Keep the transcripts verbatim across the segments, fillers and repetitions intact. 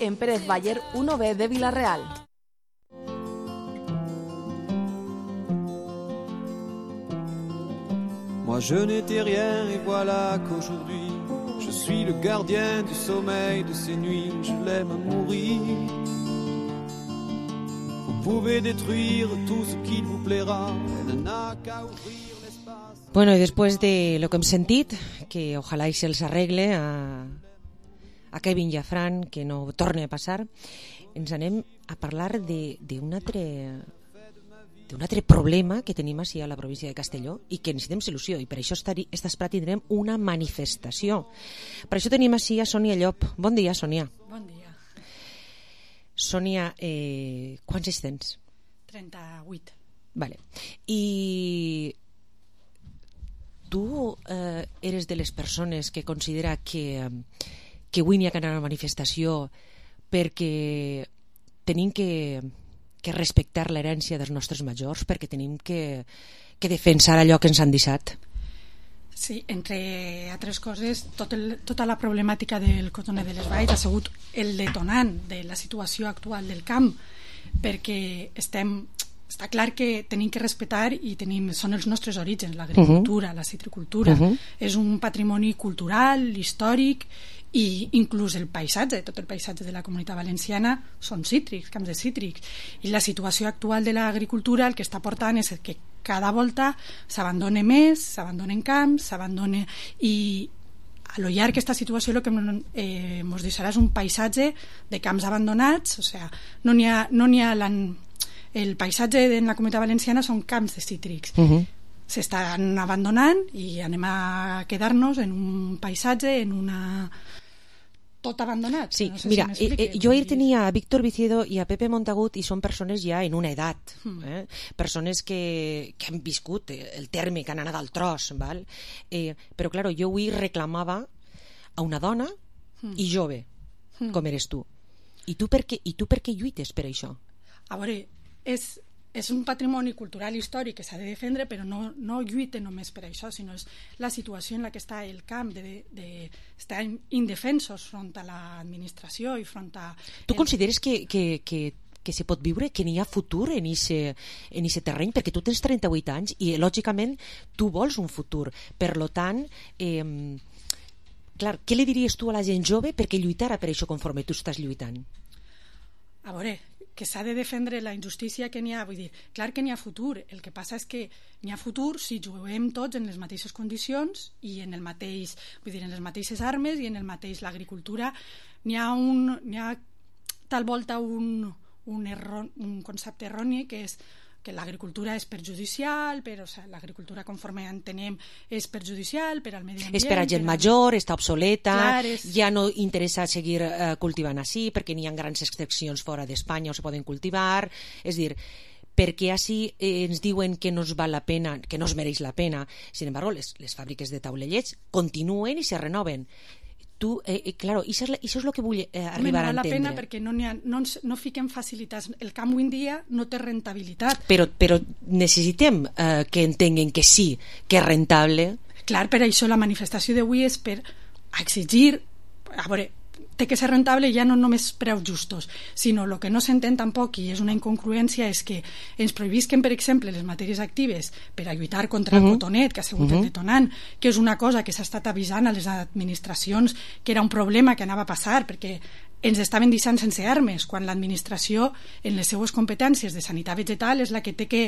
en Pérez Baller uno B de Villarreal. Moi je n'étais rien et voilà qu'aujourd'hui je suis le gardien du sommeil de ces nuits, je l'aime à mourir. Vous pouvez détruire tout ce qu'il vous plaira, elle n'a qu'à ouvrir l'espace. Bueno, y después de lo que hem sentit, que ojalá y se els arregle a, a Kevin i a Fran, que no torni a passar, ens anem a parlar d'un altre... d'un altre problema que tenim així a la província de Castelló i que necessitem solució, i per això esta espera tindrem una manifestació. Per això tenim així a Sònia Llop. Bon dia, Sònia. Bon dia. Sònia, eh, quants anys tens? trenta-vuit. Vale. I tu eh, eres de les persones que considera que, que avui n'hi ha que anar a una manifestació perquè tenim que... que respectar l'herència dels nostres majors, perquè tenim que, que defensar allò que ens han deixat. Sí, entre altres coses, tot el, tota la problemàtica del cotoner de les Valls ha sigut el detonant de la situació actual del camp, perquè estem, està clar que tenim que respectar i tenim, són els nostres orígens, l'agricultura, uh-huh. la citricultura, uh-huh. és un patrimoni cultural, històric, i inclús el paisatge, tot el paisatge de la Comunitat Valenciana són cítrics, camps de cítrics, i la situació actual de l'agricultura el que està portant és que cada volta s'abandona més, s'abandonen camps, s'abandona, i a lo llarg aquesta situació el que eh, ens deixarà és un paisatge de camps abandonats, o sigui, no n'hi ha, no n'hi ha la, el paisatge en la Comunitat Valenciana són camps de cítrics. Uh-huh. S'estan abandonant i anem a quedar-nos en un paisatge, en una... tot abandonat. Sí, no sé mira, si eh, jo ahir tenia a Víctor Vicedo i a Pepe Montagut i són persones ja en una edat, mm. eh? persones que, que han viscut el terme, que han anat al tros, val? Eh, però clar, jo avui reclamava a una dona mm. i jove, mm. com eres tu. I tu per què, i tu per què lluites per això? A veure, és... és un patrimoni cultural històric que s'ha de defendre, però no, no lluita només per això, sinó és la situació en la que està el camp, de, de, estar indefensos front a l'administració i front a... Tu el... consideres que, que, que, que se pot viure, que n'hi ha futur en ese, en ese terreny? Perquè tu tens trenta-vuit anys i, lògicament, tu vols un futur. Per lo tant, eh, clar, què li diries tu a la gent jove perquè lluitara per això conforme tu estàs lluitant? A veure, que s'ha de defendre la injustícia que n'hi ha, vull dir, clar que n'hi ha futur, el que passa és que n'hi ha futur si juguem tots en les mateixes condicions i en el mateix, vull dir, en les mateixes armes i en el mateix l'agricultura, n'hi ha un n'hi ha tal volta un, un, erro, un concepte erroni que és que l'agricultura és perjudicial, però o sigui, l'agricultura conforme entenem és perjudicial per al medi ambient. És per a gent major, està obsoleta, clar, és... ja no interessa seguir eh, cultivant així perquè n'hi ha grans extraccions fora d'Espanya o se poden cultivar, és dir, perquè així eh, ens diuen que no es val la pena, que no es mereix la pena. Sin embargo, les, les fàbriques de taulellets continuen i se renoven. Tu, eh, eh, claro, això és, això és el que vull eh, arribar no a entendre. No val la pena perquè no, ha, no, no fiquem facilitats. El camp avui en dia no té rentabilitat. Però, però necessitem eh, que entenguen que sí, que és rentable. Clar, per això la manifestació d'avui és per exigir... A veure, té que ser rentable ja no només preus justos, sinó el que no s'entén tampoc, i és una incongruència, és que ens prohibisquen, per exemple, les matèries actives per a lluitar contra uh-huh. el cotonet, que ha sigut uh-huh. el detonant, que és una cosa que s'ha estat avisant a les administracions que era un problema que anava a passar, perquè ens estaven deixant sense armes, quan l'administració, en les seues competències de sanitat vegetal, és la que té que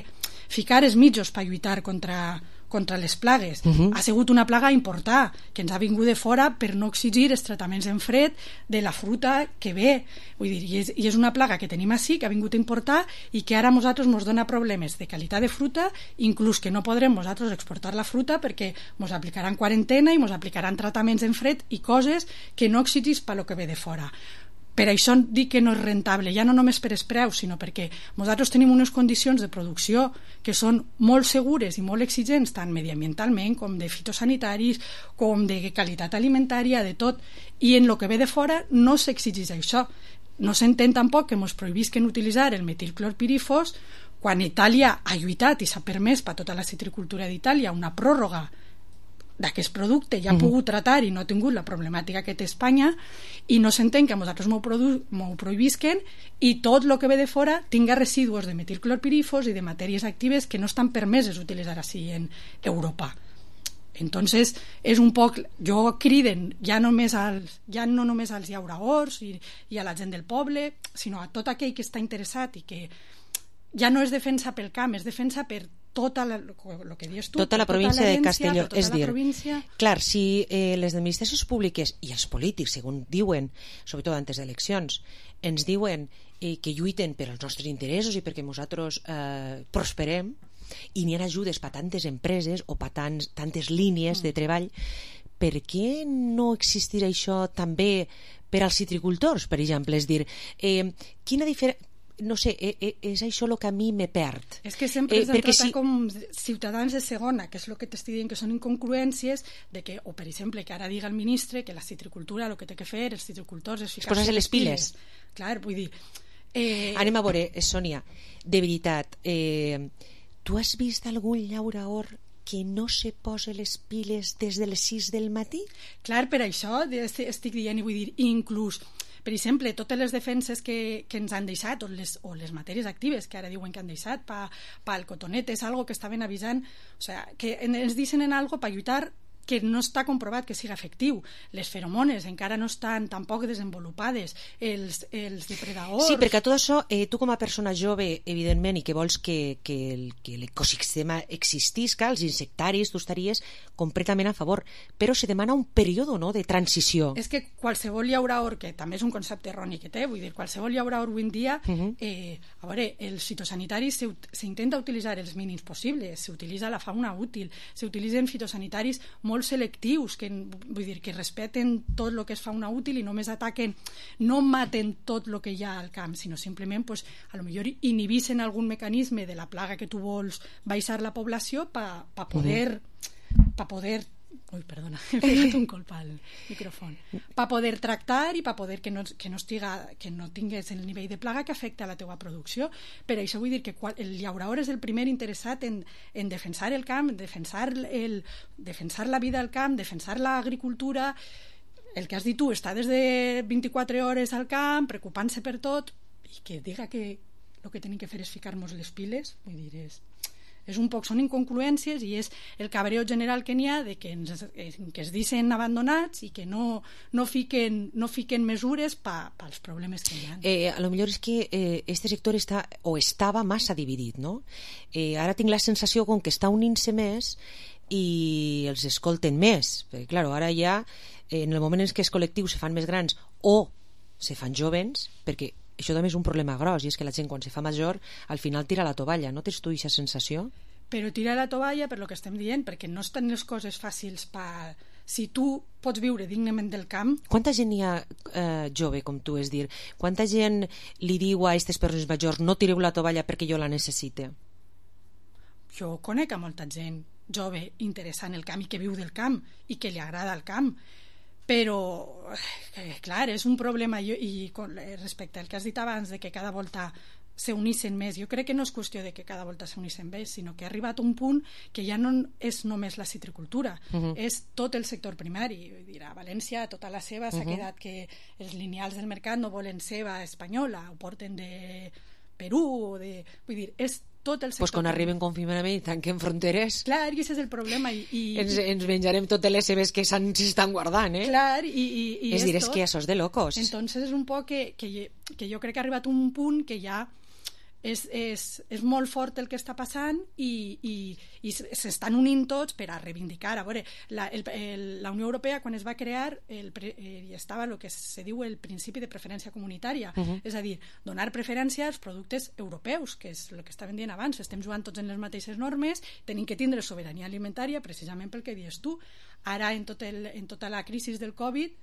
ficar els mitjos per lluitar contra contra les plagues. Uh-huh. Ha sigut una plaga important que ens ha vingut de fora per no exigir els tractaments en fred de la fruita que ve. Vull dir, i és, i és una plaga que tenim així, que ha vingut a importar i que ara a nosaltres ens dona problemes de qualitat de fruita, inclús que no podrem nosaltres exportar la fruita perquè ens aplicaran quarantena i ens aplicaran tractaments en fred i coses que no exigís per lo que ve de fora. Per això dic que no és rentable, ja no només per els preus, sinó perquè nosaltres tenim unes condicions de producció que són molt segures i molt exigents, tant mediambientalment com de fitosanitaris, com de qualitat alimentària, de tot, i en el que ve de fora no s'exigeix això. No s'entén tampoc que ens prohibisquen utilitzar el metilclorpirifos quan Itàlia ha lluitat i s'ha permès per tota la citricultura d'Itàlia una pròrroga d'aquest producte ja ha pogut tratar i no ha tingut la problemàtica que té Espanya, i no s'entén que a nosaltres m'ho produ- prohibisquen i tot el que ve de fora tinga residus de metilclorpirifos i de matèries actives que no estan permeses utilitzar així en Europa. Entonces és un poc, jo criden ja, només als, ja no només als llauraors i, i a la gent del poble, sinó a tot aquell que està interessat i que ja no és defensa pel camp, és defensa per tota la, lo que dius tu, tota la província tota de Castelló. tota és la dir, província. clar, si eh, les administracions públiques i els polítics, segons diuen, sobretot antes d'eleccions, ens diuen eh, que lluiten per als nostres interessos i perquè nosaltres eh, prosperem, i n'hi ha ajudes per tantes empreses o per tants, tantes línies de treball, per què no existirà això també per als citricultors, per exemple? És dir, eh, quina diferència... No sé, eh, és això el que a mi me perd. És que sempre eh, ens tracten si... com ciutadans de segona, que és el que t'estic dient que són incongruències, de que, o per exemple, que ara diga el ministre que la citricultura el que té que fer, els citricultors, és ficar-se les piles. Clar, vull dir... Eh... Anem a veure, Sònia, de veritat, eh, tu has vist algun llauraor que no se posa les piles des de les sis del matí? Clar, per això estic dient, i vull dir, inclús... Per exemple, totes les defenses que, que ens han deixat, o les, o les matèries actives que ara diuen que han deixat pa, pa el cotonet, és algo que estaven avisant, o sea, que ens dicen en algo per lluitar que no està comprovat que siga efectiu. Les feromones encara no estan tampoc desenvolupades, els, els depredadors... Sí, perquè tot això, eh, tu com a persona jove, evidentment, i que vols que, que, el, que l'ecosistema existisca, els insectaris, tu estaries completament a favor, però se demana un període, no?, de transició. És que qualsevol llauraor, que també és un concepte erroni que té, vull dir, qualsevol llauraor avui en dia, uh -huh. eh, a veure, els fitosanitaris s'intenta utilitzar els mínims possibles, s'utilitza la fauna útil, s'utilitzen fitosanitaris molt selectius, que, vull dir, que respeten tot el que és fauna útil i només ataquen, no maten tot el que hi ha al camp, sinó simplement, pues, a lo millor inhibixen algun mecanisme de la plaga que tu vols baixar la població per pa poder... Uh-huh. pa poder Ui, perdona, he pegat un colp al micròfon. Per poder tractar i per poder que no, que no, estiga, que no tingués el nivell de plaga que afecta a la teua producció. Per això vull dir que el llaurador és el primer interessat en, en defensar el camp, defensar, el, defensar la vida al camp, defensar l'agricultura. El que has dit tu, està des de vint-i-quatre hores al camp, preocupant-se per tot, i que diga que el que tenim que fer és ficar-nos les piles, vull dir, és... és un poc, són incongruències i és el cabreo general que n'hi ha de que, ens, que es dicen abandonats i que no, no, fiquen, no fiquen mesures pa, pels problemes que hi ha. Eh, a lo millor és que eh, este sector està, o estava massa dividit, no? Eh, ara tinc la sensació com que està unint-se més i els escolten més, perquè clar, ara ja eh, en el moment en què els col·lectius se fan més grans o se fan jovens, perquè això també és un problema gros, i és que la gent quan se fa major al final tira la tovalla, no tens tu aquesta sensació? Però tira la tovalla per lo que estem dient, perquè no estan les coses fàcils per... Si tu pots viure dignament del camp... Quanta gent hi ha eh, jove, com tu, és dir, quanta gent li diu a aquestes persones majors no tireu la tovalla perquè jo la necessite? Jo conec a molta gent jove interessant el camp i que viu del camp i que li agrada el camp, però eh, clar, és un problema i, i respecte al que has dit abans de que cada volta s'unissin més, jo crec que no és qüestió de que cada volta s'unissin més, sinó que ha arribat un punt que ja no és només la citricultura, uh-huh. és tot el sector primari. Vull dir, a València tota la ceba s'ha uh-huh. quedat que els lineals del mercat no volen ceba espanyola, ho porten de Perú o de... Vull dir, és tot el sector. Pues quan arriben confinament i tanquen fronteres, clar, i aquest és el problema i, i, ens, ens menjarem totes les cebes que s'estan guardant, eh? Clar, i, i, i és dir, és que això és de locos. Entonces és un poc que, que, que jo crec que ha arribat un punt que ja és, és, és molt fort el que està passant i, i, i s'estan unint tots per a reivindicar. A veure, la, el, el, la Unió Europea quan es va crear el, hi estava el que se diu el principi de preferència comunitària, uh-huh. és a dir, donar preferència als productes europeus, que és el que estaven dient abans, estem jugant tots en les mateixes normes, tenim que tindre sobirania alimentària precisament pel que dius tu. Ara en, tot el, en tota la crisi del Covid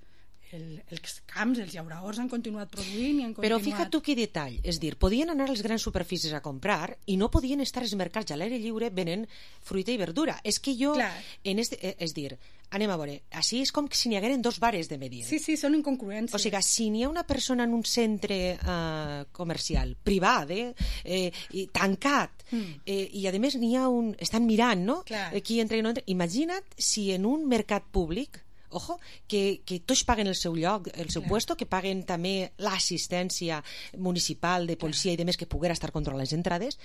el, els camps, els llauraors han continuat produint i han continuat... Però fija't tu quin detall, és dir, podien anar a les grans superfícies a comprar i no podien estar als mercats a l'aire lliure venent fruita i verdura. És que jo, Clar. en este, és dir, anem a veure, així és com si n'hi hagueren dos bares de medir. Sí, sí, són incongruències. O sigui, si n'hi ha una persona en un centre eh, comercial, privat, eh, eh, i tancat, mm. eh, i a més n'hi ha un... estan mirant, no? Clar. Qui entra i no entra. Imagina't si en un mercat públic, ojo, que, que tots paguen el seu lloc, el seu Clar. puesto, que paguen també l'assistència municipal de policia Clar. I de més que poguera estar controlant les entrades,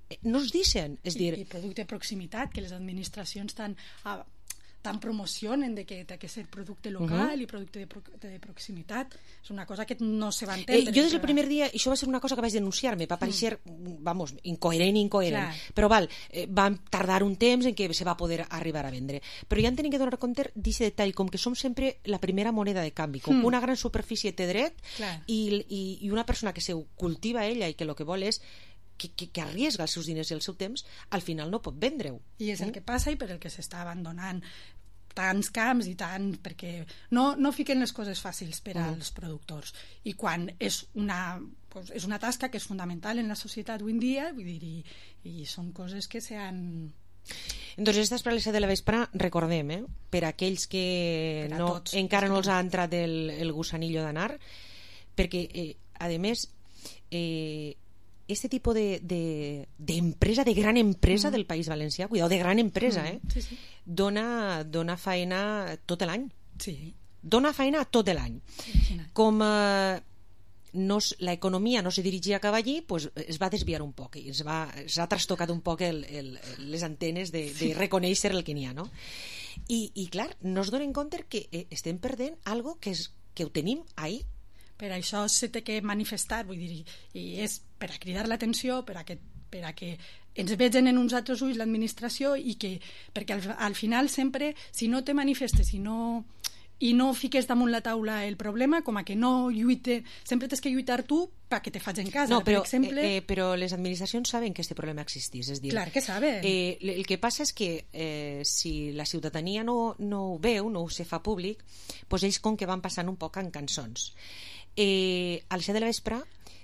eh, no es dicen, és I, dir... I producte de proximitat, que les administracions tan... Ah, tan promocionen de que té que ser producte local uh-huh. i producte de, pro, de proximitat. És una cosa que no se va entendre. Eh, jo des del primer dia, això va ser una cosa que vaig denunciar-me, va aparèixer, mm. vamos, incoherent, incoherent. Clar. Però val, eh, van tardar un temps en què se va poder arribar a vendre. Però ja en tenim que donar compte d'aquest detall, com que som sempre la primera moneda de canvi, com mm. una gran superfície té dret i, i, i una persona que se cultiva ella i que el que vol és Que, que, que arriesga els seus diners i el seu temps, al final no pot vendre-ho. I és el que passa i per el que s'està abandonant tants camps i tant, perquè no, no fiquen les coses fàcils per als productors. I quan és una, pues, és una tasca que és fundamental en la societat avui en dia, vull dir, i, i són coses que s'han... Doncs esta espralesa de la vespre, recordem, eh, per aquells que no, tots, encara no els ha entrat el, el gusanillo d'anar, perquè, eh, a més, eh, este tipo de, de, de empresa, de gran empresa mm. del País Valencià, cuidado, de gran empresa, eh? Sí, sí. Dona, dona feina tot l'any. Sí. Dona feina tot l'any. Com eh, no, l'economia no se dirigia cap allí, pues, es va desviar un poc i es va, es ha trastocat un poc el, el, les antenes de, de reconèixer el que n'hi ha, no? I, i clar, no es donen compte que eh, estem perdent algo que, és, que ho tenim ahí. Per això se té que manifestar, vull dir, i és per a cridar l'atenció, per a que, per a que ens vegen en uns altres ulls l'administració i que, perquè al, al final sempre, si no te manifestes i no, i no fiques damunt la taula el problema, com a que no lluite, sempre tens que lluitar tu perquè te faig en casa. No, però, per exemple... eh, eh, però les administracions saben que aquest problema existís, és dir... Clar que saben. Eh, el que passa és que eh, si la ciutadania no, no ho veu, no ho se fa públic, doncs ells com que van passant un poc en cançons. Eh, a les set de la vespre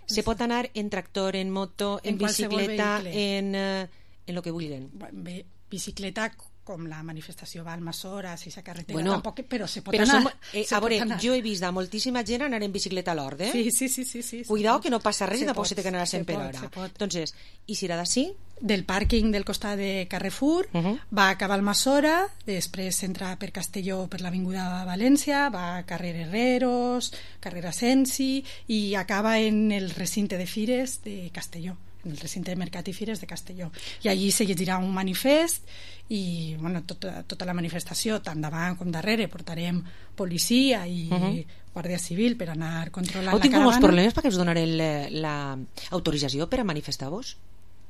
se pot anar en tractor, en moto, en, en bicicleta, en, eh, en lo que vulguin. Bé, bicicleta com la manifestació va al Almassora, si s'ha carretera, bueno, tampoc, però se pot però anar. Som, eh, se a veure, jo he vist a moltíssima gent anar en bicicleta a l'Hort, eh? Sí, sí, sí, sí, sí. Cuidao que no passa res se i tampoc pot, se té que anar a cent per hora. Entonces, i si era d'ací? Del pàrquing del costat de Carrefour, uh -huh. va acabar al Almassora, després entra per Castelló per l'Avinguda València, va a carrer Herreros, carrer Asensi i acaba en el recinte de Fires de Castelló, en el recinte de Mercat i Fires de Castelló. I allí se llegirà un manifest i bueno, tota, tota la manifestació, tant davant com darrere, portarem policia i uh -huh. Guàrdia Civil per anar controlant Heu la caravana. Heu tingut molts problemes perquè us donaré l'autorització per a manifestar-vos?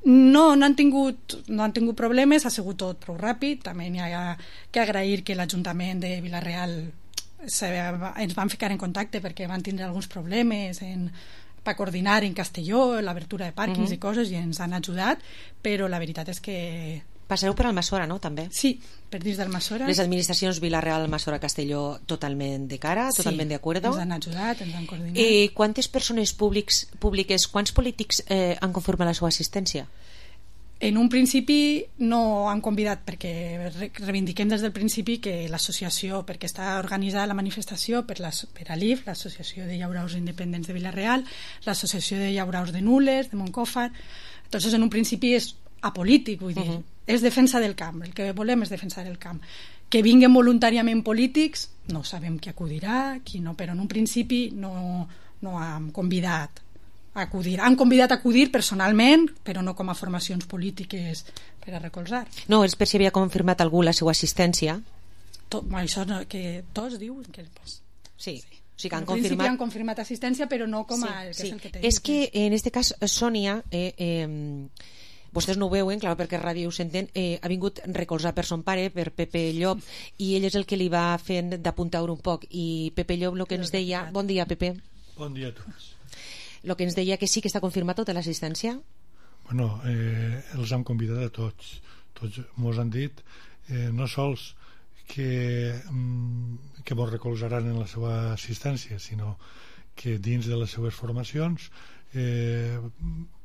No, no han tingut, no han tingut problemes, ha sigut tot prou ràpid. També n'hi ha que agrair que l'Ajuntament de Vila-real se, ens van ficar en contacte perquè van tindre alguns problemes en, per coordinar en Castelló l'obertura de pàrquings uh-huh. i coses i ens han ajudat, però la veritat és que... Passareu per Almassora, no? També? Sí, per dins d'Almassora. Les administracions Vila-real, Almassora, Castelló totalment de cara, sí, totalment d'acord. ens han ajudat, ens han coordinat. Eh, quantes persones públics, públiques, quants polítics eh, han confirmat la seva assistència? En un principi no han convidat, perquè reivindiquem des del principi que l'associació, perquè està organitzada la manifestació per, la, per a l'I F, l'Associació de Llauraus Independents de Vila-real, l'Associació de Llauraus de Nules, de Montcòfar. Entonces, en un principi és apolític, vull dir, uh-huh. és defensa del camp, el que volem és defensar el camp. Que vinguen voluntàriament polítics, no sabem qui acudirà, qui no, però en un principi no, no han convidat a acudir. Han convidat a acudir personalment, però no com a formacions polítiques per a recolzar. No, és per si havia confirmat algú la seva assistència. Tot, això no, que tots diuen que... Pues, sí. sí. O sigui que han en principi confirmat... han confirmat assistència, però no com a... El que sí, és, el que sí. És que en aquest cas, Sònia... Eh, eh, vostès no ho veuen, clar, perquè ràdio ho senten, eh, ha vingut recolzar per son pare, per Pepe Llop, i ell és el que li va fent d'apuntar un poc, i Pepe Llop el que ens deia... Bon dia, Pepe. Bon dia a tots. El que ens deia que sí que està confirmat tota l'assistència? Bueno, eh, els han convidat a tots. Tots mos han dit, eh, no sols que, que mos recolzaran en la seva assistència, sinó que dins de les seues formacions eh,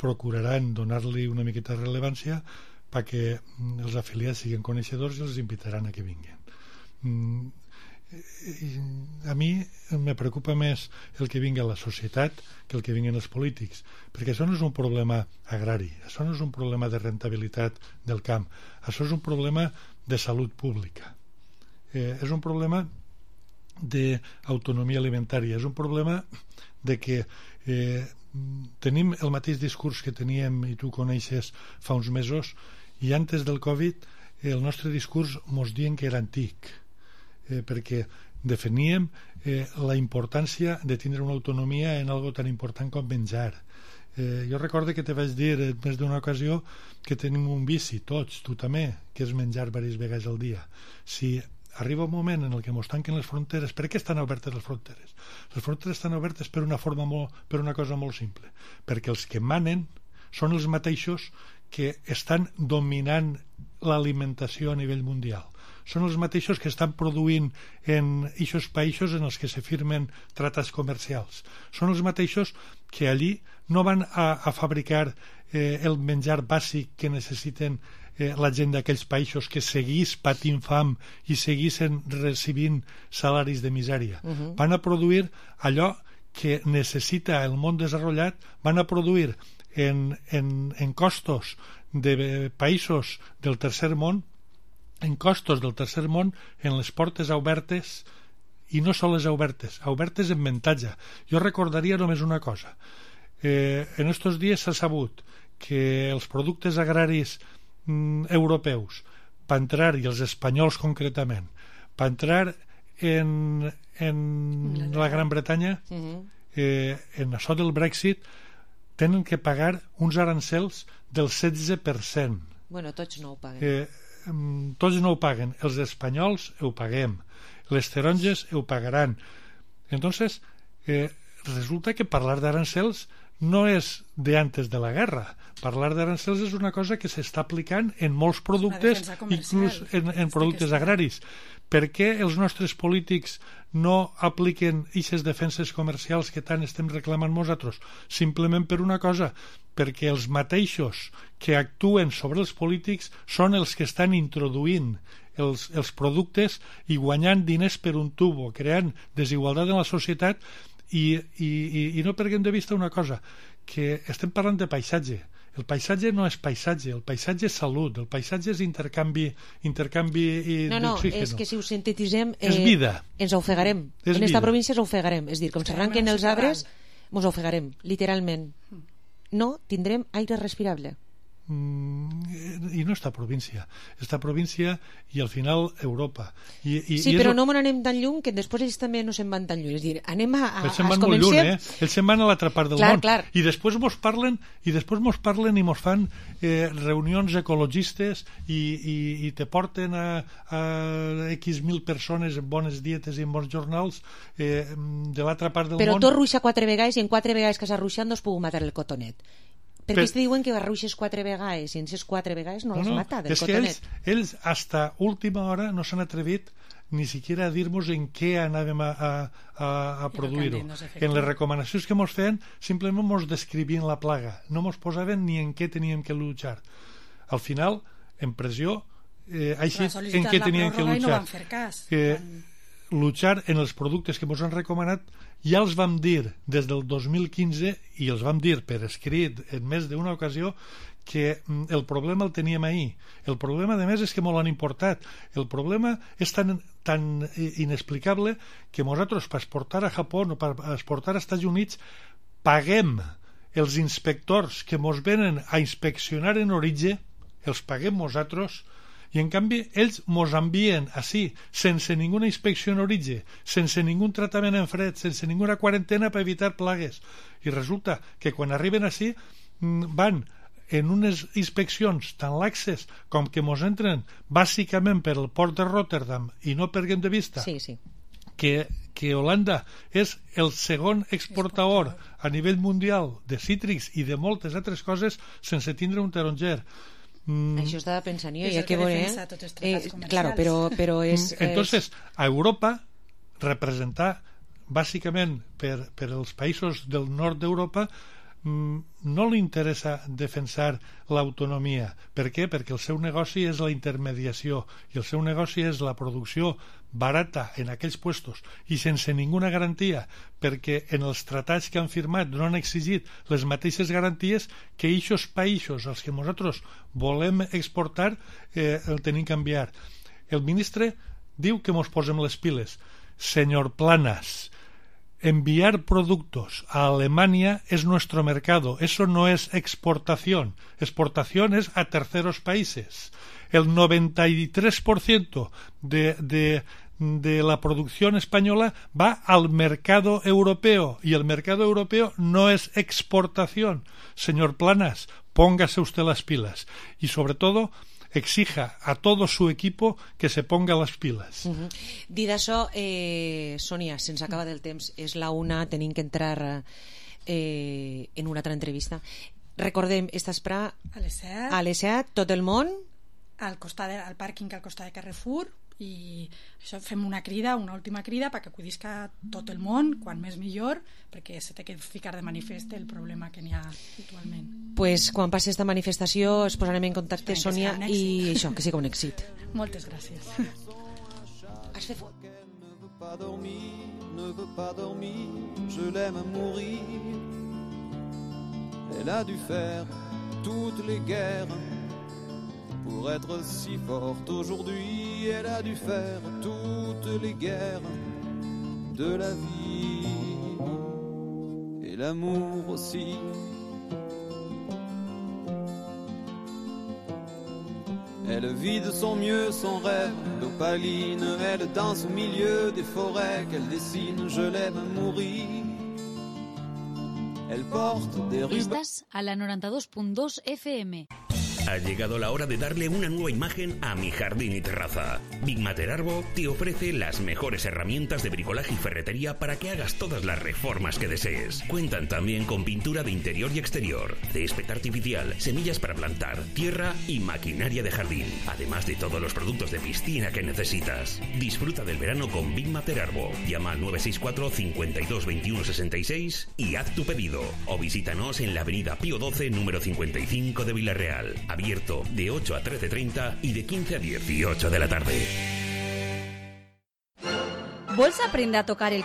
procuraran donar-li una miqueta de rellevància perquè els afiliats siguin coneixedors i els invitaran a que vinguin. Mm, a mi me preocupa més el que vingui a la societat que el que vinguin els polítics, perquè això no és un problema agrari, això no és un problema de rentabilitat del camp, això és un problema de salut pública, eh, és un problema d'autonomia alimentària, és un problema de que eh, tenim el mateix discurs que teníem i tu coneixes fa uns mesos, i antes del Covid el nostre discurs mos dient que era antic, eh, perquè definíem eh, la importància de tindre una autonomia en algo tan important com menjar. Eh, jo recordo que te vaig dir en més d'una ocasió que tenim un vici, tots, tu també, que és menjar diverses vegades al dia. Si arriba un moment en el que ens tanquen les fronteres, per què estan obertes les fronteres? Les fronteres estan obertes per una forma molt, per una cosa molt simple, perquè els que manen són els mateixos que estan dominant l'alimentació a nivell mundial. Són els mateixos que estan produint en aquests països en els que se firmen tractats comercials. Són els mateixos que allí no van a, a fabricar eh, el menjar bàsic que necessiten eh, la gent d'aquells països que seguís patint fam i seguissin recibint salaris de misèria. Uh-huh. Van a produir allò que necessita el món desenvolupat, van a produir en, en, en costos de països del tercer món, en costos del tercer món, en les portes obertes, i no soles obertes, obertes en mentatge. Jo recordaria només una cosa. Eh, en estos dies s'ha sabut que els productes agraris mm, europeus, per entrar, i els espanyols concretament, per entrar en, en la Gran Bretanya, eh, en això del Brexit, tenen que pagar uns arancels del setze per cent. Bueno, tots no ho paguen. Eh, tots no ho paguen. Els espanyols ho paguem. Les taronges ho pagaran. Entonces, eh, resulta que parlar d'arancels no és de antes de la guerra. Parlar d'arancels és una cosa que s'està aplicant en molts productes, inclús en, en productes agraris. Per què els nostres polítics no apliquen aquestes defenses comercials que tant estem reclamant nosaltres? Simplement per una cosa, perquè els mateixos que actuen sobre els polítics són els que estan introduint els, els productes i guanyant diners per un tubo, creant desigualtat en la societat. I, i, i no perdem de vista una cosa, que estem parlant de paisatge. El paisatge no és paisatge, el paisatge és salut, el paisatge és intercanvi, intercanvi no, no, d'oxígeno. És que si ho sintetitzem eh, és vida. Ens ofegarem. És en esta vida. Província ens ofegarem. És dir, com s'arranquen els arbres, ens ofegarem, literalment. No tindrem aire respirable. Mm, i no esta província, esta província i al final Europa. I, i, sí, i però el... no me n'anem tan lluny, que després ells també no se'n van tan lluny. És dir, anem a... a ells se'n van molt lluny, eh? Ells se'n van a l'altra part del clar, món. Clar. I després mos parlen i després mos parlen i mos fan eh, reunions ecologistes i, i, i te porten a, a X mil persones en bones dietes i en bons jornals eh, de l'altra part del però món. Però tu ruixa quatre vegades i en quatre vegades que s'ha ruixat no es puc matar el cotonet. Perquè per... te diuen que ruixes quatre vegades i en ces quatre vegades no, no les mata del és cotonet. Que ells, ells hasta última hora no s'han atrevit ni siquiera a dir-nos en què anàvem a, a, a, a produir-ho. En les recomanacions que mos feien simplement mos descrivien la plaga, no mos posaven ni en què teníem que luchar. Al final, en pressió, eh, així en què teníem que luchar. No eh, luchar en els productes que mos han recomanat. Ja els vam dir des del dos mil quinze i els vam dir per escrit en més d'una ocasió que el problema el teníem ahir. El problema, a més, és que molt han importat. El problema és tan, tan inexplicable que nosaltres, per exportar a Japó o per exportar als Estats Units, paguem els inspectors que mos venen a inspeccionar en origen, els paguem nosaltres, i en canvi ells mos envien així, sense ninguna inspecció en origen, sense ningun tractament en fred, sense ninguna quarantena per evitar plagues. I resulta que quan arriben així van en unes inspeccions tan laxes com que mos entren bàsicament per el port de Rotterdam i no perdem de vista sí, sí. que, que Holanda és el segon exportador a nivell mundial de cítrics i de moltes altres coses sense tindre un taronger. Mm, Això estava pensant jo, És ja el que que veuré. defensa tots els tractats Eh, comercials. claro, però, però és... Entonces, a Europa, representar bàsicament per, per els països del nord d'Europa, mm, no li interessa defensar l'autonomia. Per què? Perquè el seu negoci és la intermediació i el seu negoci és la producció barata en aquells puestos i sense ninguna garantia, perquè en els tractats que han firmat no han exigit les mateixes garanties que aquests països als que nosaltres volem exportar eh, el tenim que enviar. El ministre diu que mos posem les piles. Senyor Planas, enviar productos a Alemania es nuestro mercado. Eso no es exportación. Exportación es a terceros países. El noventa y tres por ciento de, de, de la producción española va al mercado europeo y el mercado europeo no es exportación. Señor Planas, póngase usted las pilas y sobre todo exija a todo su equipo que se ponga las pilas. Uh-huh. Dit això, eh, Sònia, se'ns acaba del temps, és la una, tenim que entrar eh, en una altra entrevista. Recordem, estàs per A les set, a les set, tot el món, al, costat de, al pàrquing al costat de Carrefour, i això fem una crida, una última crida perquè acudisca tot el món, quan més millor, perquè se té que ficar de manifest el problema que n'hi ha actualment. pues, quan passi esta manifestació es posarem en contacte, Esperem que Sònia, sigui un i això, que sigui un èxit. Moltes gràcies. Has fet fort. Ne veut pas dormir, ne veut pas dormir, je l'aime mourir. Elle a dû faire toutes les guerres pour être si forte aujourd'hui. Elle a dû faire toutes les guerres de la vie et l'amour aussi. Elle vit de son mieux son rêve d'opaline. Elle danse au milieu des forêts qu'elle dessine. Je l'aime mourir. Elle porte des rubans. Estás a la noventa y dos punto dos F M. Ha llegado la hora de darle una nueva imagen a mi jardín y terraza. Big Matter Arbo te ofrece las mejores herramientas de bricolaje y ferretería para que hagas todas las reformas que desees. Cuentan también con pintura de interior y exterior, césped artificial, semillas para plantar, tierra y maquinaria de jardín, además de todos los productos de piscina que necesitas. Disfruta del verano con Big Matter Arbo. Llama al nueve seis cuatro, cincuenta y dos, veintiuno, sesenta y seis y haz tu pedido. O visítanos en la avenida Pío doce, número cincuenta y cinco de Villarreal. Abierto de ocho a trece treinta y de quince a dieciocho de la tarde. Vols aprendre a tocar el